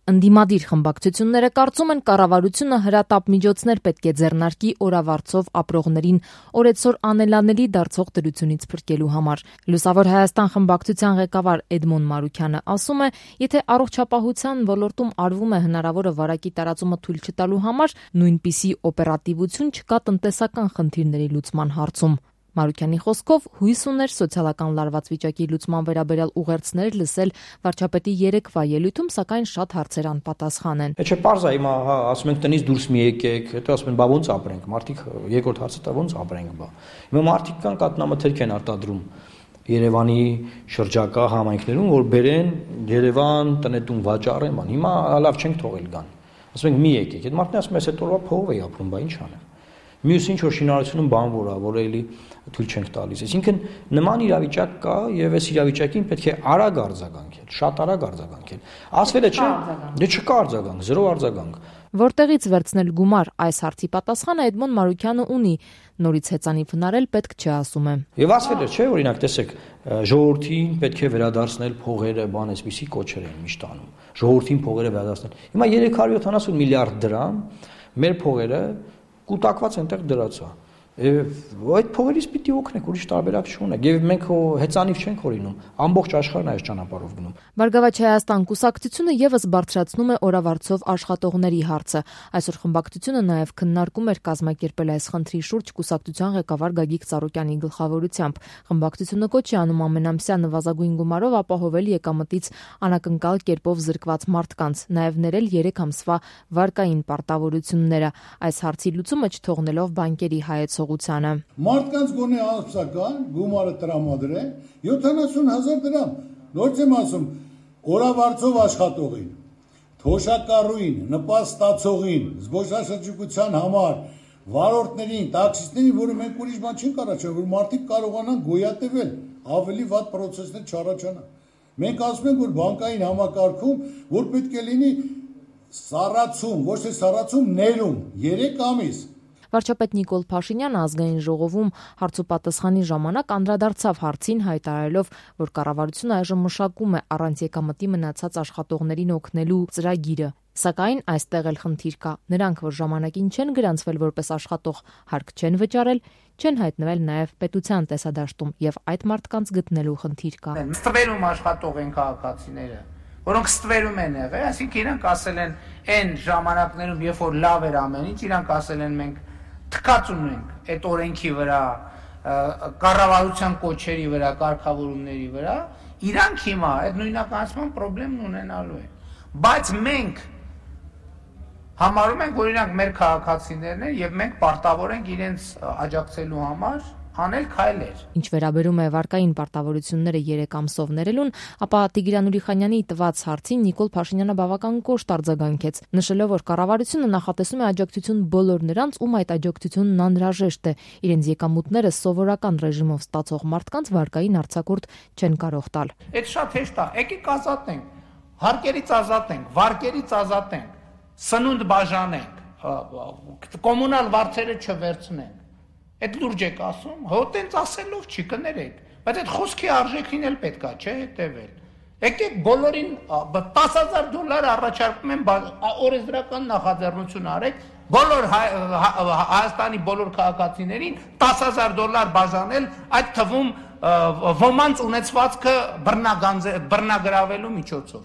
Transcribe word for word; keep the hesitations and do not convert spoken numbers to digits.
Ընդդիմադիր խմբակցությունները կարծում են կառավարությունը հրատապ միջոցներ պետք է ձեռնարկի օրավարձով ապրողներին օրեցօր անելանելի դարձող դրությունից փրկելու համար։ Լուսավոր Հայաստան խմբակցության ղեկավար Էդմոն Մարուքյանը ասում է, եթե առողջապահության ոլորտում արվում է հնարավորը վարակի տարածումը թույլ չտալու համար, նույնպիսի օպերատիվություն չկա տնտեսական խնդիրների լուծման հարցում։ Մարուքյանի խոսքով հույս ուներ սոցիալական լարված վիճակի լուծման վերաբերյալ ուղերձներ լսել վարչապետի երեկվա ելույթում, սակայն շատ հարցեր անպատասխան են։ Չէ, պարզ է, հիմա ասում ենք տնից դուրս մի եկեք, հետո ասում են բա ոնց ապրենք, մարդիկ երկրորդ հարցը դա ոնց ապրենք, բա։ Հիմա մարդիկ կան կատնամթերք են արտադրում Երևանի շրջակա համայնքներում, որ բերեն Երևան տնետուն վաճառեն, բան։ Հիմա լավ չենք թողել գան։ Ասում ենք մի եկեք, այդ մարդն ասում է, այս օրվա փողով է ապրում, բա ինչ անեմ։ Մյուս ինչ որ շինարարությունում բանվոր է, որ էլի թույլ չենք տալիս։ Այսինքն նման իրավիճակ կա եւ այս իրավիճակին պետք է արագ արձագանքել, շատ արագ արձագանքել։ Ասվել է չէ, դե չկա արձագանք, զրո արձագանք։ Որտեղից վերցնել գումար այս հարցի պատասխանը Էդմոն Մարուքյանը ունի, նորից հեծանիվ հնարել պետք չէ ասում է։ Եվ ասվել է չէ, օրինակ տեսեք, ժողովրդին պետք է վերադարձնել փողերը, բան այսպիսի կոչեր են միշտ անում։ Ժողովրդին փողերը վերադարձնել։ Հիմա երեք հարյուր յոթանասուն միլիարդ դրամ մեր փողերը կուտակված այնտեղ դրած է։ Այդ փողերից պիտի օգնենք, ուրիշ տարբերակ չունենք։ Եվ մենք հեծանիվ չենք հորինում, ամբողջ աշխարհն այս ճանապարհով գնում։ Բարգավաճ Հայաստան կուսակցությունը եւս բարձրացնում է օրավարձով աշխատողների հարցը։ Այսօր խմբակցությունը նաեւ քննարկում էր կազմակերպել այս խնդրի շուրջ կուսակցության ղեկավար Գագիկ Ծառուկյանի գլխավորությամբ։ Խմբակցությունը կոչ է անում ամենամսյա նվազագույն գումարով ապահովել եկամտից անակնկալ կերպով զրկված մարդկանց, նաեւ ներել երեք ամսվա վարկային պարտավորությունները։ Այս հարցի լուծումը չթողնելով բանկերի հայեցողությանը։ Մարդկանց գոնե ամսական գումարը տրամադրեն յոթանասուն հազար դրամ։ Նորից եմ ասում, օրավարձով աշխատողին, թոշակառուին, նպաստացողին, զբոսաշրջիկության համար, վարորդներին, տաքսիստներին, որը մենք ուրիշ բան չենք առաջանում, որ մարդիկ կարողանան գոյատևել, ավելի վատ պրոցեսներ չառաջանան։ Մենք ասում ենք, որ բանկային համակարգում, որ պետք է լինի սառացում, ոչ թե սառացում, ներում, երեք ամիս։ Վարչապետ Նիկոլ Փաշինյանը ազգային ժողովում հարցուպատասխանի ժամանակ անդրադարձավ հարցին, հայտարարելով, որ կառավարությունը այժմ մշակում է առանց եկամտի մնացած աշխատողներին օգնելու ծրագիրը։ Սակայն այստեղ էլ խնդիր կա։ Նրանք, որ ժամանակին չեն գրանցվել որպես աշխատող, հարկ չեն վճարել, չեն հայտնվել նաև պետության տեսադաշտում եւ այդ մարդկանց գտնելու խնդիր կա։ Ստվերում աշխատող են քաղաքացիները, որոնք ստվերում են եղել, այսինքն իրանք ասել են այն ժամանակներում, երբ որ լավ էր ամեն ինչ, իրանք ասել են մենք թքած ունենք այդ օրենքի վրա, կառավարության կոչերի վրա, կարգավորումների վրա, իրանք հիմա այդ նույնականացման խնդիրն ունենալու են։ Բայց մենք համարում ենք, որ իրանք մեր քաղաքացիներն են եւ մենք պարտավոր ենք իրենց աջակցելու համար անել քայլեր։ Ինչ վերաբերում է վարկային պարտավորությունները երեք ամսով ներելուն, ապա Տիգրան Ուրիխանյանի տված հարցին Նիկոլ Փաշինյանը բավական կոշտ արձագանքեց, նշելով, որ կառավարությունը նախատեսում է աջակցություն բոլոր նրանց, ում այդ աջակցությունն անհրաժեշտ է, իրենց եկամուտները սովորական ռեժիմով ստացող մարդկանց վարկային արձակուրդ չեն կարող տալ։ Այդ շատ հեշտ է, եկեք ազատենք, հարկերից ազատենք, վարկերից ազատենք, սնունդ բաժանենք, կոմունալ վարձերը չվերցնենք։ Այդ լուրջ եք ասում, հո տենց ասելով չի կներեք, բայց այդ խոսքի արժեքին էլ պետքա չէ հետևել։ Եկեք բոլորին տասը հազար դոլար առաջարկում են օրենսդրական նախաձեռնություն արեք, բոլոր Հայաստանի բոլոր քաղաքացիներին տասը հազար դոլար բաժանել, այդ թվում ոմանց ունեցվածքը բռնագրավելու միջոցով։